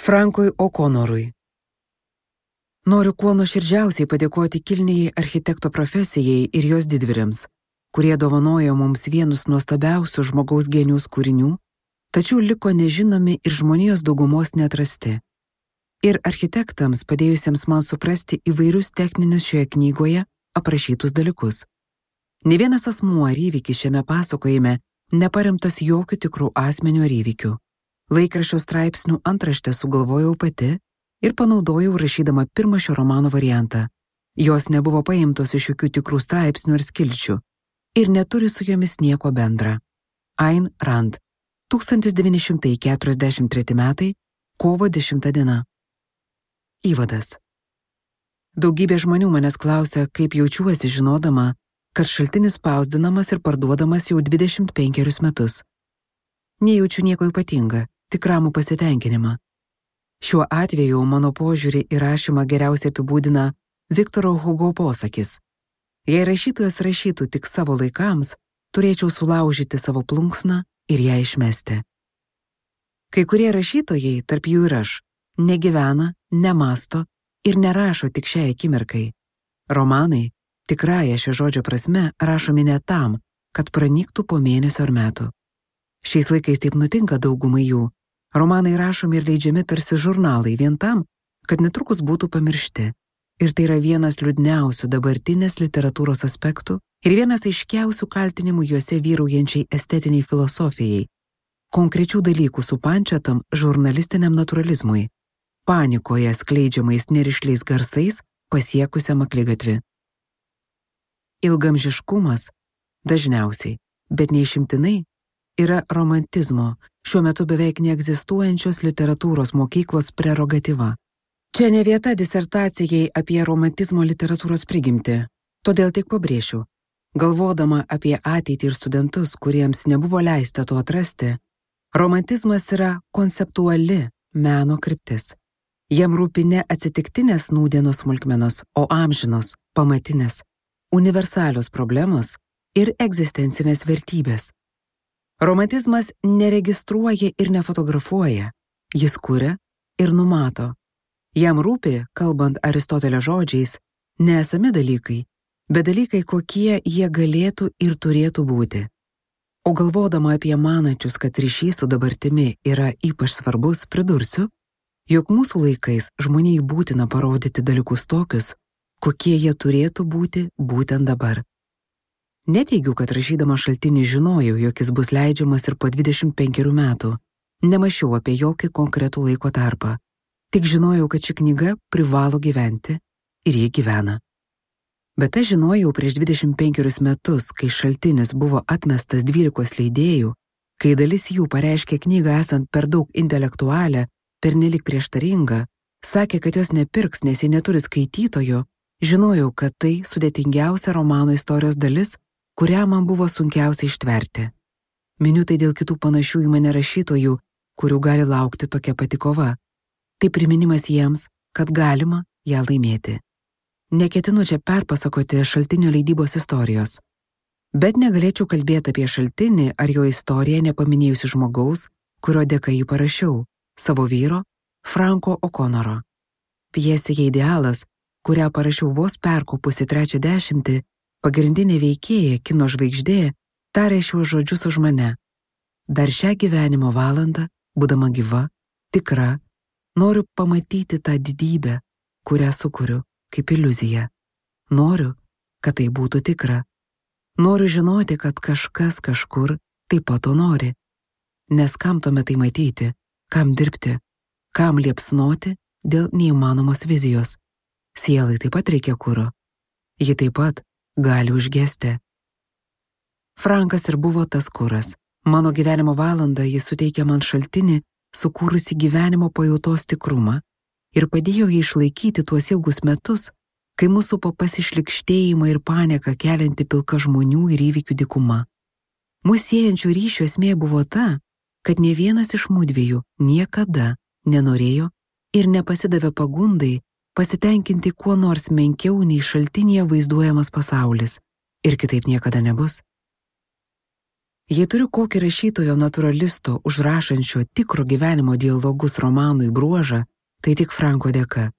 Frankui O'Connorui. Noriu kuo nuoširdžiausiai padėkoti kilniai architekto profesijai ir jos didvyriams, kurie dovanojo mums vienus nuostabiausių žmogaus genijaus kūrinių, tačiau liko nežinomi ir žmonijos daugumos neatrasti. Ir architektams padėjusiems man suprasti įvairius techninius šioje knygoje aprašytus dalykus. Ne vienas asmuo ar įvykis šiame pasakojime neparemtas jokių tikrų asmenių ar įvykių. Laikraščio straipsnių antraštę sugalvojau pati ir panaudojau rašydama pirmą šio romano variantą. Jos nebuvo paimtos iš jokių tikrų straipsnių ar skilčių ir neturi su jomis nieko bendra. Ayn Rand, 1943 metai, kovo 10 diena. Įvadas. Daugybė žmonių manęs klausia, kaip jaučiuosi žinodama, kad šaltinis spausdinamas ir parduodamas jau 25 metus. Nejaučiu nieko ypatinga, tik ramų pasitenkinimą. Šiuo atveju mano požiūrį į rašymą geriausiai apibūdina Viktoro Hugo posakis. Jei rašytojas rašytų tik savo laikams, turėčiau sulaužyti savo plunksną ir ją išmesti. Kai kurie rašytojai, tarp jų ir aš, negyvena, nemasto ir nerašo tik šiai akimirkai. Romanai, tikrąja šio žodžio prasme, rašomi ne tam, kad pranyktų po mėnesio ar metų. Šiais laikais taip nutinka daugumai jų. Romanai rašomi ir leidžiami tarsi žurnalai vien tam, kad netrukus būtų pamiršti. Ir tai yra vienas liūdniausių dabartinės literatūros aspektų ir vienas aiškiausių kaltinimų juose vyraujančiai estetiniai filosofijai, konkrečių dalykų supančiotam žurnalistiniam naturalizmui, panikoje skleidžiamais nerišliais garsais pasiekusiam akligatvį. Ilgamžiškumas dažniausiai, bet neišimtinai, yra romantizmo, šiuo metu beveik neegzistuojančios literatūros mokyklos prerogatyva. Čia ne vieta disertacijai apie romantizmo literatūros prigimtį, todėl tik pabrėšiu. Galvodama apie ateitį ir studentus, kuriems nebuvo leista to atrasti, romantizmas yra konceptuali meno kryptis. Jam rūpi ne atsitiktinės nūdienos smulkmenos, o amžinos, pamatinės, universalios problemos ir egzistencinės vertybės. Romantizmas neregistruoja ir nefotografuoja, jis kuria ir numato. Jam rūpi, kalbant Aristotelio žodžiais, ne esami dalykai, bet dalykai, kokie jie galėtų ir turėtų būti. O galvodama apie manančius, kad ryšys su dabartimi yra ypač svarbus, pridursiu, jog mūsų laikais žmonijai būtina parodyti dalykus tokius, kokie jie turėtų būti būtent dabar. Neteigiu, kad rašydama šaltinį žinojau, jog jis bus leidžiamas ir po 25 metų. Nemašiau apie jokį konkretų laiko tarpą. Tik žinojau, kad ši knyga privalo gyventi ir ji gyvena. Bet aš žinojau prieš 25 metus, kai šaltinis buvo atmestas 12 leidėjų, kai dalis jų pareiškė knygą esant per daug intelektualią, pernelyg prieštaringą, sakė, kad jos nepirks, nes ji neturi skaitytojo, žinojau, kad tai sudėtingiausia romano istorijos dalis, kurią man buvo sunkiausia ištverti. Miniu tai dėl kitų panašių į mane rašytojų, kurių gali laukti tokia pati kova. Tai priminimas jiems, kad galima ją laimėti. Neketinu čia perpasakoti šaltinio leidybos istorijos, bet negalėčiau kalbėti apie šaltinį ar jo istoriją nepaminėjusi žmogaus, kurio dėka jį parašiau, savo vyro, Franko O'Connoro. Pjesėje Idealas, kurią parašiau vos perkopusi 30, pagrindinė veikėja, kino žvaigždė, tarė šiuos žodžius už mane. Dar šią gyvenimo valandą, būdama gyva, tikra, noriu pamatyti tą didybę, kurią sukuriu kaip iliuziją. Noriu, kad tai būtų tikra. Noriu žinoti, kad kažkas kažkur taip pat to nori. Nes kam tuomet tai matyti, kam dirbti, kam liepsnoti dėl neįmanomos vizijos. Sielai taip pat reikia kuro. Ji taip pat gali užgesti. Frankas ir buvo tas kuras. Mano gyvenimo valandą jis suteikė man šaltinį, sukūrusi gyvenimo pajautos tikrumą ir padėjo jį išlaikyti tuos ilgus metus, kai mūsų pasišlikštėjimą ir panieką kelianti pilka žmonių ir įvykių dykuma. Mūsų siejančių ryšių esmė buvo ta, kad ne vienas iš mudviejų niekada nenorėjo ir nepasidavė pagundai pasitenkinti kuo nors menkiau nei šaltinyje vaizduojamas pasaulis, ir kitaip niekada nebus. Jei turiu kokį rašytojo naturalisto užrašančio tikro gyvenimo dialogus romanui bruožą, tai tik Franko dėka.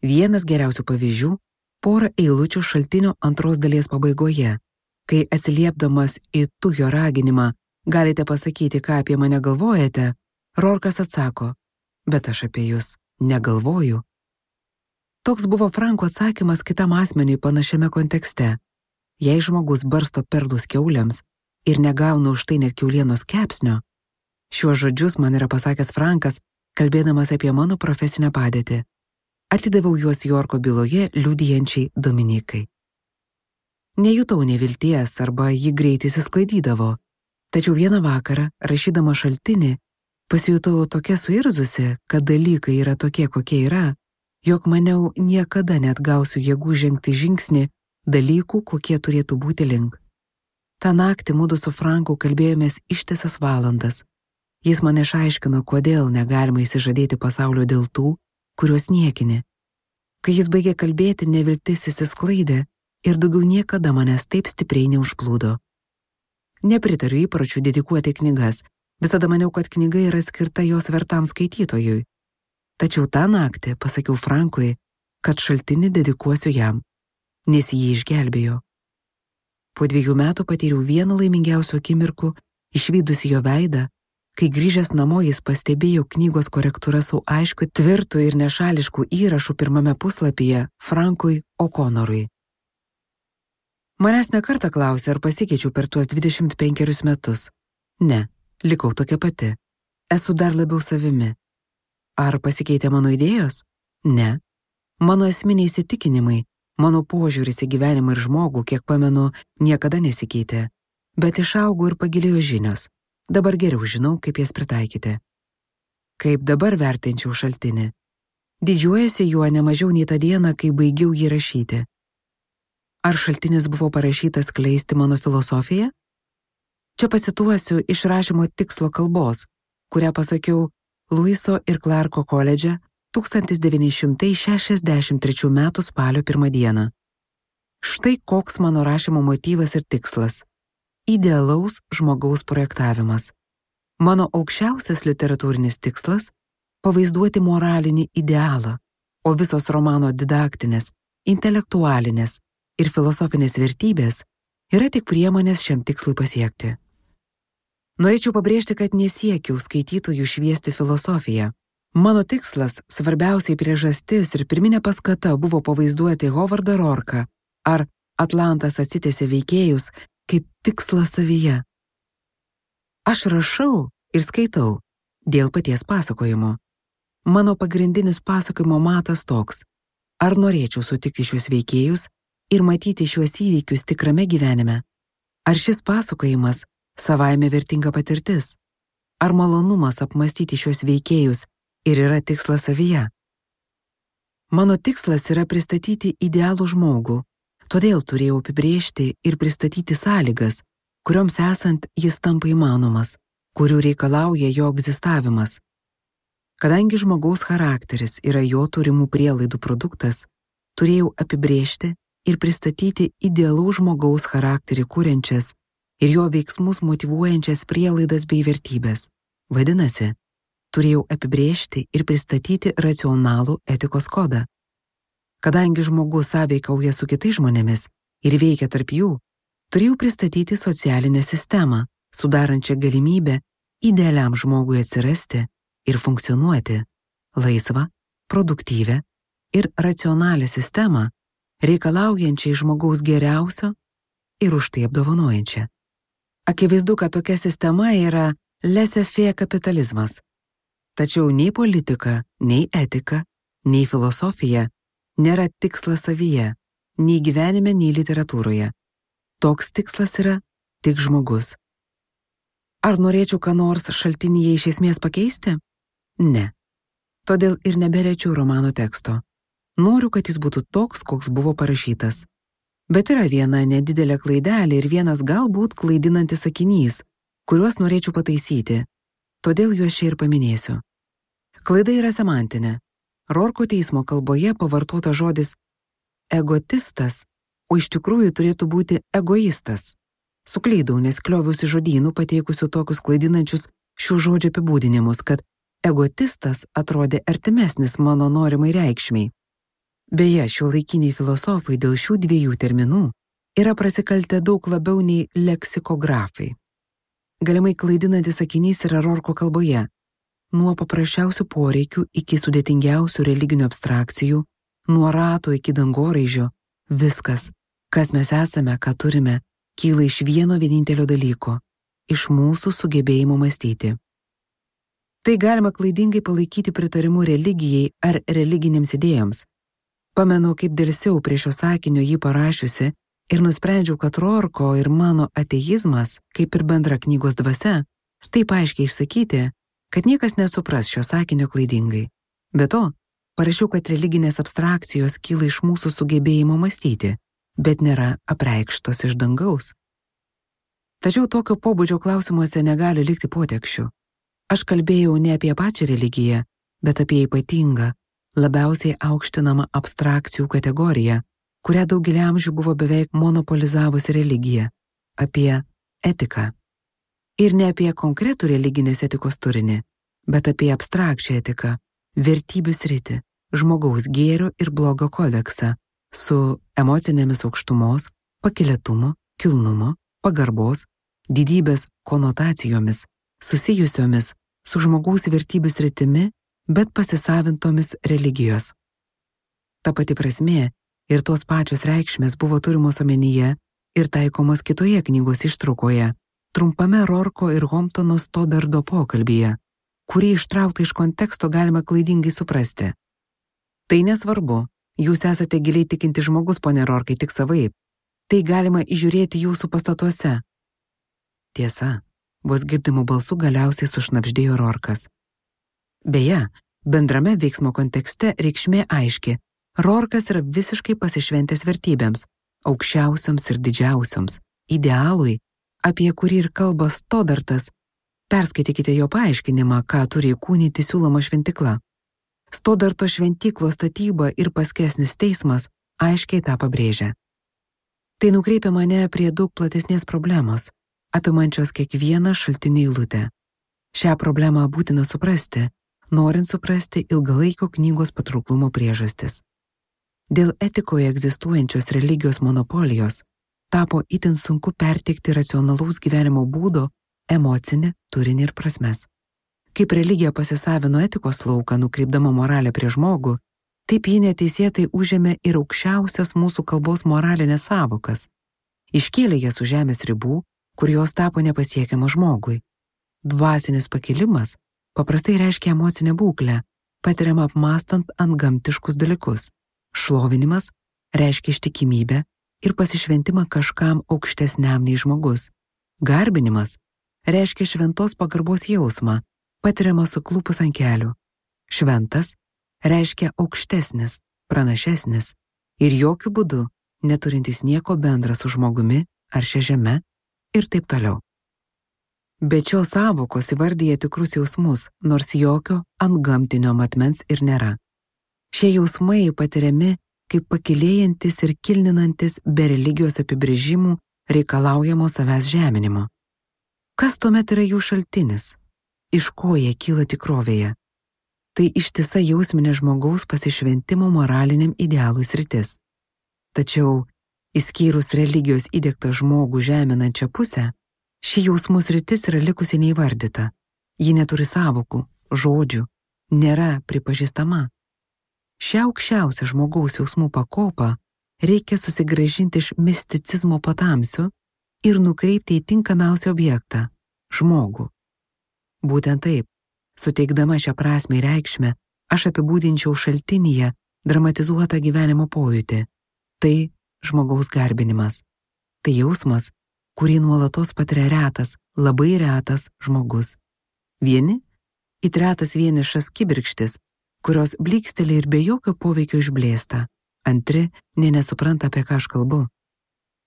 Vienas geriausių pavyzdžių – porą eilučių šaltinio antros dalies pabaigoje, kai atsiliepdamas į tu jo raginimą galite pasakyti, ką apie mane galvojate, Rorkas atsako, bet aš apie jūs negalvoju. Toks buvo Franko atsakymas kitam asmeniui panašiame kontekste. Jei žmogus barsto perlus kiauliams ir negauna už tai net kiaulienos kepsnio, šiuos žodžius man yra pasakęs Frankas, kalbėdamas apie mano profesinę padėtį. Atidaviau juos Jorko byloje liudijančiai Dominikai. Nejutau nevilties arba ji greitai įsisklaidydavo, tačiau vieną vakarą, rašydama šaltinį, pasijutau tokia suirzusi, kad dalykai yra tokie, kokie yra, jog maniau niekada net gausiu jėgų žengti žingsnį dalykų, kokie turėtų būti link. Ta naktį mudu su Franku kalbėjomės ištisas valandas. Jis man išaiškino, kodėl negalima įsižadėti pasaulio dėl tų, kuriuos niekini. Kai jis baigė kalbėti, neviltis įsisklaidė ir daugiau niekada manęs taip stipriai neužplūdo. Nepritariu įpročių dedikuoti knygas, visada maniau, kad knyga yra skirta jos vertam skaitytojui. Tačiau tą naktį pasakiau Frankui, kad šaltinį dedikuosiu jam, nes jį išgelbėjo. Po 2 metų patyriau vieną laimingiausių akimirkų, išvydusi jo veidą, kai grįžęs namo jis pastebėjo knygos korektūrą su aiškiu, tvirtu ir nešališku įrašu pirmame puslapyje Frankui O'Connorui. Manęs nekartą klausė, ar pasikeičiau per tuos 25 metus. Ne, likau tokia pati. Esu dar labiau savimi. Ar pasikeitė mano idėjos? Ne. Mano esminiai įsitikinimai, mano požiūris į gyvenimą ir žmogų, kiek pamenu, niekada nesikeitė. Bet išaugo ir pagilėjo žinios. Dabar geriau žinau, kaip jas pritaikyti. Kaip dabar vertinčiau šaltinį. Didžiuojuosi juo nemažiau nei tą dieną, kai baigiau jį rašyti. Ar šaltinis buvo parašytas skleisti mano filosofiją? Čia pasituosiu iš rašymo tikslo kalbos, kurią pasakiau Luiso ir Clarko koledže 1963 m. spalio 1 dieną. Štai koks mano rašymo motyvas ir tikslas – idealaus žmogaus projektavimas. Mano aukščiausias literatūrinis tikslas – pavaizduoti moralinį idealą, o visos romano didaktinės, intelektualinės ir filosofinės vertybės yra tik priemonės šiam tikslui pasiekti. Norėčiau pabrėžti, kad nesiekiau skaitytojų šviesti filosofiją. Mano tikslas, svarbiausiai priežastis ir pirminė paskata buvo pavaizduoti Hovardą Rorką ar Atlantas atsitęsė veikėjus kaip tikslą savyje. Aš rašau ir skaitau dėl paties pasakojimo. Mano pagrindinis pasakojimo matas toks. Ar norėčiau sutikti šios veikėjus ir matyti šiuos įvykius tikrame gyvenime? Ar šis pasakojimas savaime vertinga patirtis? Ar malonumas apmastyti šios veikėjus ir yra tikslas savyje? Mano tikslas yra pristatyti idealų žmogų, todėl turėjau apibrėžti ir pristatyti sąlygas, kurioms esant jis tampa įmanomas, kurių reikalauja jo egzistavimas. Kadangi žmogaus charakteris yra jo turimų prielaidų produktas, turėjau apibrėžti ir pristatyti idealaus žmogaus charakterį kuriančias ir jo veiksmus motyvuojančias prielaidas bei vertybės. Vadinasi, turėjau apibrėžti ir pristatyti racionalų etikos kodą. Kadangi žmogus sąveikauja su kitais žmonėmis ir veikia tarp jų, turėjau pristatyti socialinę sistemą, sudarančią galimybę idealiam žmogui atsirasti ir funkcionuoti, laisvą, produktyvę ir racionalią sistemą, reikalaujančią žmogaus geriausio ir už tai apdovanojančią. Akivaizdu, kad tokia sistema yra laissez-faire kapitalizmas. Tačiau nei politika, nei etika, nei filosofija nėra tikslas savyje, nei gyvenime, nei literatūroje. Toks tikslas yra tik žmogus. Ar norėčiau ką nors šaltinyje iš esmės pakeisti? Ne. Todėl ir neberečiau romano teksto. Noriu, kad jis būtų toks, koks buvo parašytas. Bet yra viena nedidelė klaidelė ir vienas galbūt klaidinantis sakinys, kuriuos norėčiau pataisyti. Todėl juos čia ir paminėsiu. Klaida yra semantinė. Rorko teismo kalboje pavartota žodis egotistas, o iš tikrųjų turėtų būti egoistas. Suklydau, nes klioviausi žodynų pateikusių tokius klaidinančius šių žodžių apibūdinimus, kad egotistas atrodė artimesnis mano norimai reikšmiai. Beje, šiuolaikiniai filosofai dėl šių dviejų terminų yra prasikaltę daug labiau nei leksikografai. Galimai klaidinantis sakinys yra Rorko kalboje. Nuo paprasčiausių poreikių iki sudėtingiausių religinių abstrakcijų, nuo rato iki dangoraižio, viskas, kas mes esame, ką turime, kyla iš vieno vienintelio dalyko – iš mūsų sugebėjimo mąstyti. Tai galima klaidingai palaikyti pritarimu religijai ar religinėms idėjoms. Pamenu, kaip dėlsiau prie šio sakinio jį parašiusi ir nusprendžiau, kad Rorko ir mano ateizmas, kaip ir bendra knygos dvasia, taip aiškiai išsakyti, kad niekas nesupras šio sakinio klaidingai. Be to, parašiau, kad religinės abstrakcijos kyla iš mūsų sugebėjimo mąstyti, bet nėra apreikštos iš dangaus. Tačiau tokio pobūdžio klausimuose negali likti potekščių. Aš kalbėjau ne apie pačią religiją, bet apie ypatingą, labiausiai aukštinamą abstrakcijų kategoriją, kurią daugelį amžių buvo beveik monopolizavusi religija, apie etiką. Ir ne apie konkretų religinės etikos turinį, bet apie abstrakčią etiką, vertybių sritį, žmogaus gėrio ir blogo kodeksą, su emocinėmis aukštumos, pakylėtumo, kilnumo, pagarbos, didybės konotacijomis, susijusiomis su žmogaus vertybių sritimi, bet pasisavintomis religijos. Ta pati prasmė ir tos pačios reikšmės buvo turimos omenyje ir taikomos kitoje knygos ištraukoje, trumpame Rorko ir Homptono Stodardo pokalbyje, kurį ištraukta iš konteksto galima klaidingai suprasti. Tai nesvarbu, jūs esate giliai tikinti žmogus, pone Rorkai, tik savaip. Tai galima įžiūrėti jūsų pastatuose. Tiesa, vos girdimų balsų galiausiai sušnabždėjo Rorkas. Beje, bendrame veiksmo kontekste reikšmė aiški. Rorkas yra visiškai pasišventęs vertybėms, aukščiausioms ir didžiausioms, idealui, apie kurį ir kalba Stodartas. Perskaitykite jo paaiškinimą, ką turi įkūnyti siūloma šventykla. Stodarto šventyklos statyba ir paskesnis teismas aiškiai tą pabrėžia. Tai nukreipia mane prie daug platesnės problemos, apimančios kiekvieną šaltinį eilutę. Šią problemą būtina suprasti, norint suprasti ilgalaikio knygos patrauklumo priežastis. Dėl etikoje egzistuojančios religijos monopolijos tapo itin sunku perteikti racionalaus gyvenimo būdo, emocinį, turinį ir prasmes. Kaip religija pasisavino etikos lauką, nukreipdama moralę prie žmogų, taip ji neteisėtai užėmė ir aukščiausias mūsų kalbos moralinės savokas. Iškėlė jas už žemės ribų, kur jos tapo nepasiekiama žmogui. Dvasinis pakilimas paprastai reiškia emocinę būklę, patiriamą apmąstant antgamtiškus dalykus. Šlovinimas reiškia ištikimybę ir pasišventimą kažkam aukštesniam nei žmogus. Garbinimas reiškia šventos pagarbos jausmą, patiriamą suklupus ant kelių. Šventas reiškia aukštesnis, pranašesnis ir jokių būdų neturintis nieko bendra su žmogumi ar šia žeme ir taip toliau. Bet šios sąvokos įvardyja tikrus jausmus, nors jokio antgamtinio matmens ir nėra. Šie jausmai patiriami kaip pakilėjantis ir kilninantis be religijos apibrėžimų reikalaujamo savęs žeminimo. Kas tuomet yra jų šaltinis? Iš ko jie kyla tikrovėje? Tai ištisa jausminė žmogaus pasišventimo moraliniam idealui sritis. Tačiau, išskyrus religijos įdiegtą žmogų žeminančią pusę, ši jausmų sritis yra likusi neįvardyta. Ji neturi sąvokų, žodžių, nėra pripažįstama. Šią aukščiausią žmogaus jausmų pakopą reikia susigrąžinti iš misticizmo patamsių ir nukreipti į tinkamiausią objektą – žmogų. Būtent taip, suteikdama šią prasmę ir reikšmę, aš apibūdinčiau šaltinyje dramatizuotą gyvenimo pojūtį. Tai žmogaus garbinimas. Tai jausmas, kurį nuolatos patiria retas, labai retas žmogus. Vieni – it retas vienišas kibirkštis, kurios blyksteli ir be jokio poveikio išblėsta. Antri nesupranta, apie ką aš kalbu.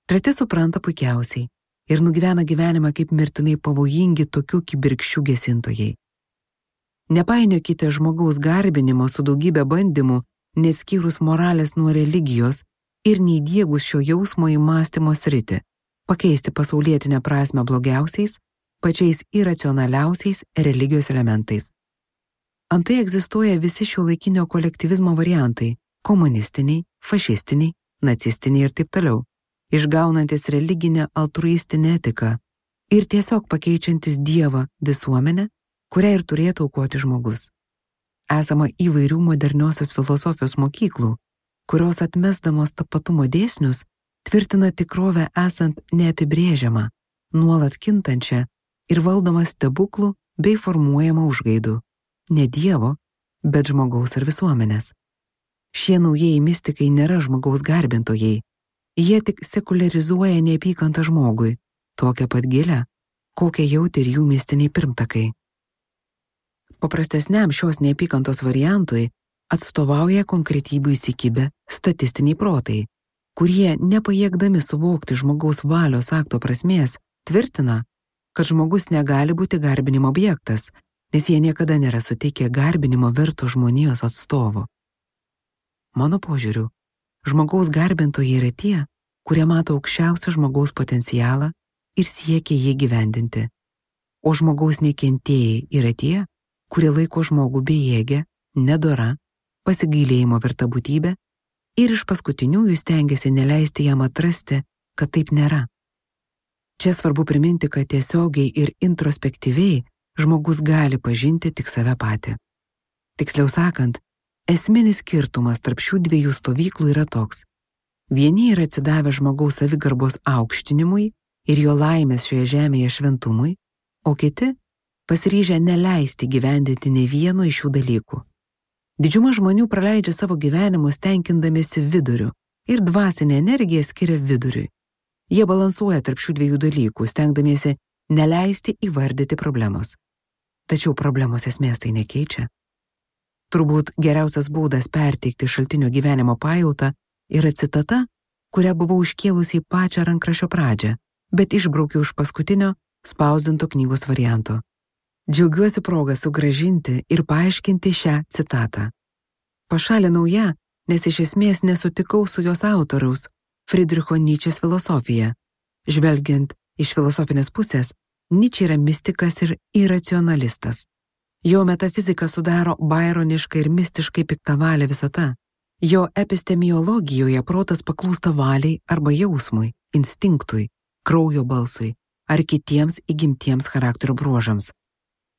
Treti supranta puikiausiai ir nugyvena gyvenimą kaip mirtinai pavojingi tokių kibirkščių gesintojai. Nepainiokite žmogaus garbinimo su daugybė bandymų, neskyrus moralės nuo religijos ir neįdiegus šio jausmo į mąstymo sritį. pakeisti pasaulietinę prasmę blogiausiais, pačiais iracionaliausiais religijos elementais. Antai egzistuoja visi šiuolaikinio kolektyvizmo variantai – komunistiniai, fašistiniai, nacistiniai ir taip toliau, išgaunantis religinę altruistinę etiką ir tiesiog pakeičiantis Dievą visuomenę, kurią ir turėtų aukoti žmogus. Esama įvairių moderniosios filosofijos mokyklų, kurios atmesdamos tapatumo dėsnius tvirtina tikrovę esant neapibrėžiamą, nuolat kintančią ir valdomą stebuklų bei formuojamą užgaidų. Ne Dievo, bet žmogaus ar visuomenės. Šie naujieji mistikai nėra žmogaus garbintojai. Jie tik sekularizuoja neapykantą žmogui, tokią pat gilę, kokią jautė ir jų mistiniai pirmtakai. Paprastesniam šios neapykantos variantui atstovauja konkretybių įsikibę statistiniai protai, kurie, nepajėgdami suvokti žmogaus valios akto prasmės, tvirtina, kad žmogus negali būti garbinimo objektas, nes jie niekada nėra suteikę garbinimo verto žmonijos atstovo. Mano požiūriu, žmogaus garbintojai yra tie, kurie mato aukščiausią žmogaus potencialą ir siekia jį gyvendinti. O žmogaus nekentėjai yra tie, kurie laiko žmogų bejėgę, nedora, pasigailėjimo verta būtybė ir iš paskutiniųjų stengiasi neleisti jam atrasti, kad taip nėra. Čia svarbu priminti, kad tiesiogiai ir introspektyviai žmogus gali pažinti tik save patį. Tiksliau sakant, esminis skirtumas tarp šių dviejų stovyklų yra toks. Vieni yra atsidavę žmogaus savigarbos aukštinimui ir jo laimės šioje žemėje šventumui, o kiti pasiryžę neleisti gyvendinti nei vieno iš šių dalykų. Didžiuma žmonių praleidžia savo gyvenimus tenkindamiesi viduriu ir dvasinę energiją skiria viduriui. Jie balansuoja tarp šių dviejų dalykų, stengdamiesi neleisti įvardyti problemos. Tačiau problemos esmės tai nekeičia. Turbūt geriausias būdas perteikti šaltinio gyvenimo pajautą yra citata, kurią buvau iškėlusi į pačią rankraščio pradžią, bet išbraukiau iš paskutinio spausdinto knygos varianto. Džiaugiuosi progą sugrąžinti ir paaiškinti šią citatą. Pašalinau ją, nes iš esmės nesutikau su jos autoriaus, Friedricho Nyčės filosofija. Žvelgiant iš filosofinės pusės, Nyčė yra mistikas ir iracionalistas. Jo metafizika sudaro baironiškai ir mistiškai piktavalę visata. Jo epistemiologijoje protas paklūsta valiai arba jausmui, instinktui, kraujo balsui ar kitiems įgimtiems charakterio bruožams.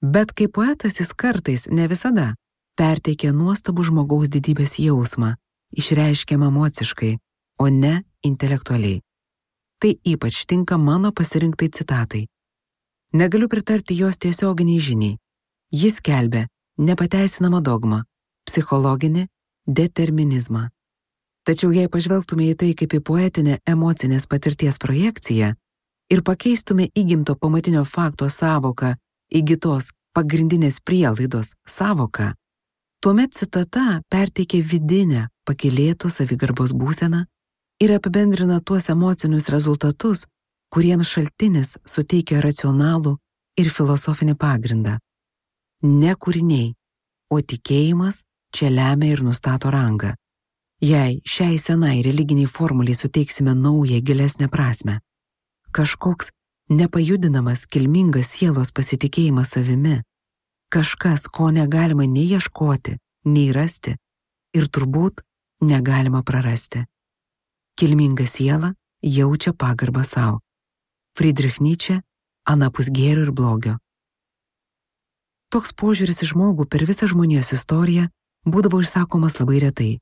Bet kaip poetas jis kartais, ne visada, perteikia nuostabų žmogaus didybės jausmą, išreiškiamą emociškai, o ne intelektualiai. Tai ypač tinka mano pasirinktai citatai. Negaliu pritarti jos tiesioginiai žiniai. Jis skelbia nepateisinamą dogmą, psichologinį determinizmą. Tačiau jei pažvelgtume į tai kaip į poetinę emocinės patirties projekciją ir pakeistume įgimto pamatinio fakto sąvoką įgytos pagrindinės prielaidos sąvoką, tuomet citata perteikia vidinę pakylėtų savigarbos būseną ir apibendrina tuos emocinius rezultatus, kuriems šaltinis suteikia racionalų ir filosofinį pagrindą. Ne kūriniai, o tikėjimas čia lemia ir nustato rangą. Jei šiai senai religiniai formuliai suteiksime naują gilesnę prasmę, kažkoks nepajudinamas kilmingas sielos pasitikėjimas savimi, kažkas, ko negalima nei ieškoti, nei rasti ir turbūt negalima prarasti. Kilminga siela jaučia pagarbą savo. Friedrich Nyčė, anapus gėrio ir blogio. Toks požiūris į žmogų per visą žmonijos istoriją būdavo išsakomas labai retai.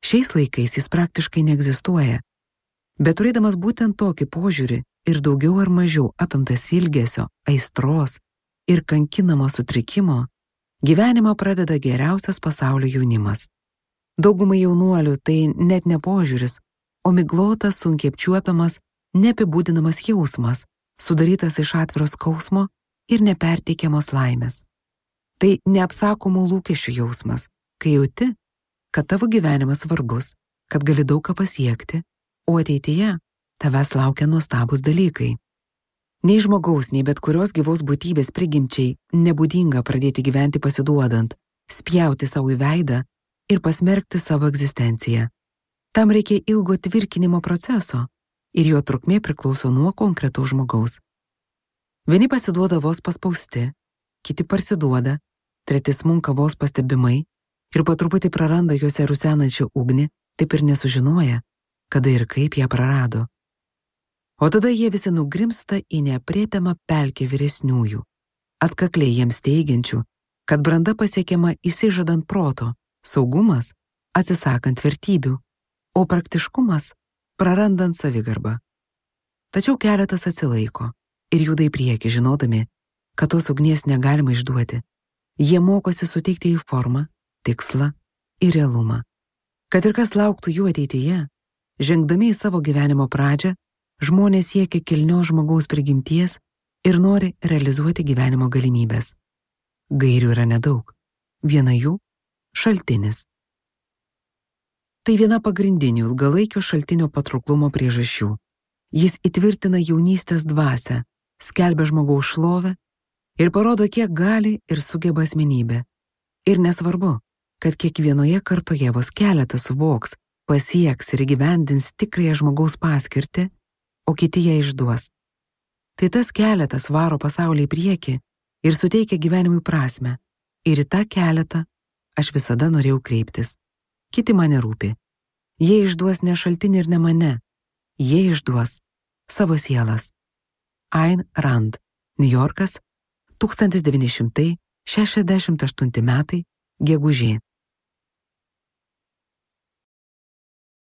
Šiais laikais jis praktiškai neegzistuoja, bet turėdamas būtent tokį požiūrį ir daugiau ar mažiau apimtas ilgesio, aistros ir kankinamo sutrikimo, gyvenimą pradeda geriausias pasaulio jaunimas. Daugumai jaunuolių tai net ne požiūris, o miglotas, sunkiai apčiuopiamas, neapibūdinamas jausmas, sudarytas iš atviro skausmo ir neperteikiamos laimės. Tai neapsakomų lūkesčių jausmas, kai jauti, kad tavo gyvenimas svarbus, kad gali daug ką pasiekti, o ateityje tavęs laukia nuostabūs dalykai. Nei žmogaus, nei bet kurios gyvos būtybės prigimčiai nebūdinga pradėti gyventi pasiduodant, spjauti savo į veidą ir pasmerkti savo egzistenciją. Tam reikia ilgo tvirkinimo proceso, ir jo trukmė priklauso nuo konkretaus žmogaus. Vieni pasiduoda vos paspausti, kiti parsiduoda, treti smunka vos pastebimai ir po truputį praranda juose rusenančią ugnį, taip ir nesužinoja, kada ir kaip ją prarado. O tada jie visi nugrimsta į neaprėpiamą pelkę vyresniųjų, atkakliai jiems teigiančių, kad branda pasiekiama įsižadant proto, saugumas atsisakant vertybių, o praktiškumas prarandant savigarbą. Tačiau keletas atsilaiko ir juda į priekį, žinodami, kad tos ugnies negalima išduoti. Jie mokosi suteikti į formą, tikslą ir realumą. Kad ir kas lauktų jų ateityje, žengdami į savo gyvenimo pradžią, žmonės siekia kilnios žmogaus prigimties ir nori realizuoti gyvenimo galimybės. Gairių yra nedaug. Viena jų – šaltinis. Tai viena pagrindinių ilgalaikio šaltinio patrauklumo priežasčių. Jis įtvirtina jaunystės dvasią, skelbia žmogaus šlovę ir parodo, kiek gali ir sugeba asmenybė. Ir nesvarbu, kad kiekvienoje kartoje vos keletas suvoks, pasieks ir įgyvendins tikrąją žmogaus paskirtį, o kiti ją išduos. Tai tas keletas varo pasaulį į priekį ir suteikia gyvenimui prasmę. Ir į tą keletą aš visada norėjau kreiptis. Kiti mane rūpi. Jie išduos ne šaltinį ir ne mane. Jie išduos savo sielas. Ayn Rand, Niujorkas, 1968 metai, gegužė.